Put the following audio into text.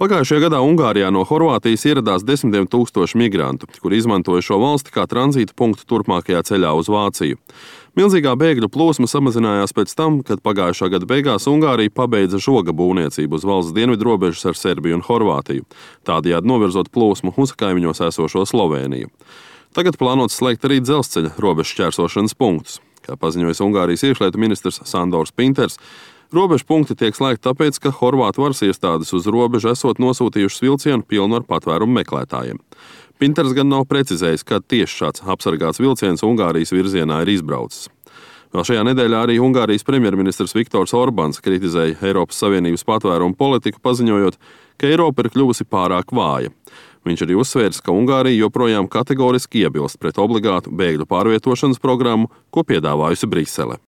Pagājušajā gadā Ungārijā no Horvātijas ieradās desmitiem tūkstoši migrantu, kuri izmantoja šo valsti kā tranzīta punktu turpmākajā ceļā uz Vāciju. Milzīgā bēgļu plūsma samazinājās pēc tam, kad pagājušā gada beigās Ungārija pabeidza žoga būvniecību uz valsts dienvidu robežas ar Serbiju un Horvātiju, tādējādi novirzot plūsmu uz kaimiņos esošo Slovēniju. Tagad plānots slēgt arī dzelzceļa robežu šķērsošanas punktus. Kā paziņojis Ungārijas iekšlietu ministrs Sandors Pinters, robežu punkti tiek slēgti tāpēc, ka horvātu varas iestādes uz robežu esot nosūtījušas vilcienu pilnu ar patvērumu meklētājiem. Pinters gan nav precizējis, kad tieši šāds apsargāts vilciens Ungārijas virzienā ir izbraucis. Vēl šajā nedēļā arī Ungārijas premjerministrs Viktors Orbāns kritizēja Eiropas Savienības patvērumu politiku, paziņojot, ka Eiropa ir kļuvusi pārāk vāja. Viņš arī uzsvērs, ka Ungārija joprojām kategoriski iebilst pret obligātu bēgļu pārvietošanas programmu, ko piedāvājusi Brisele.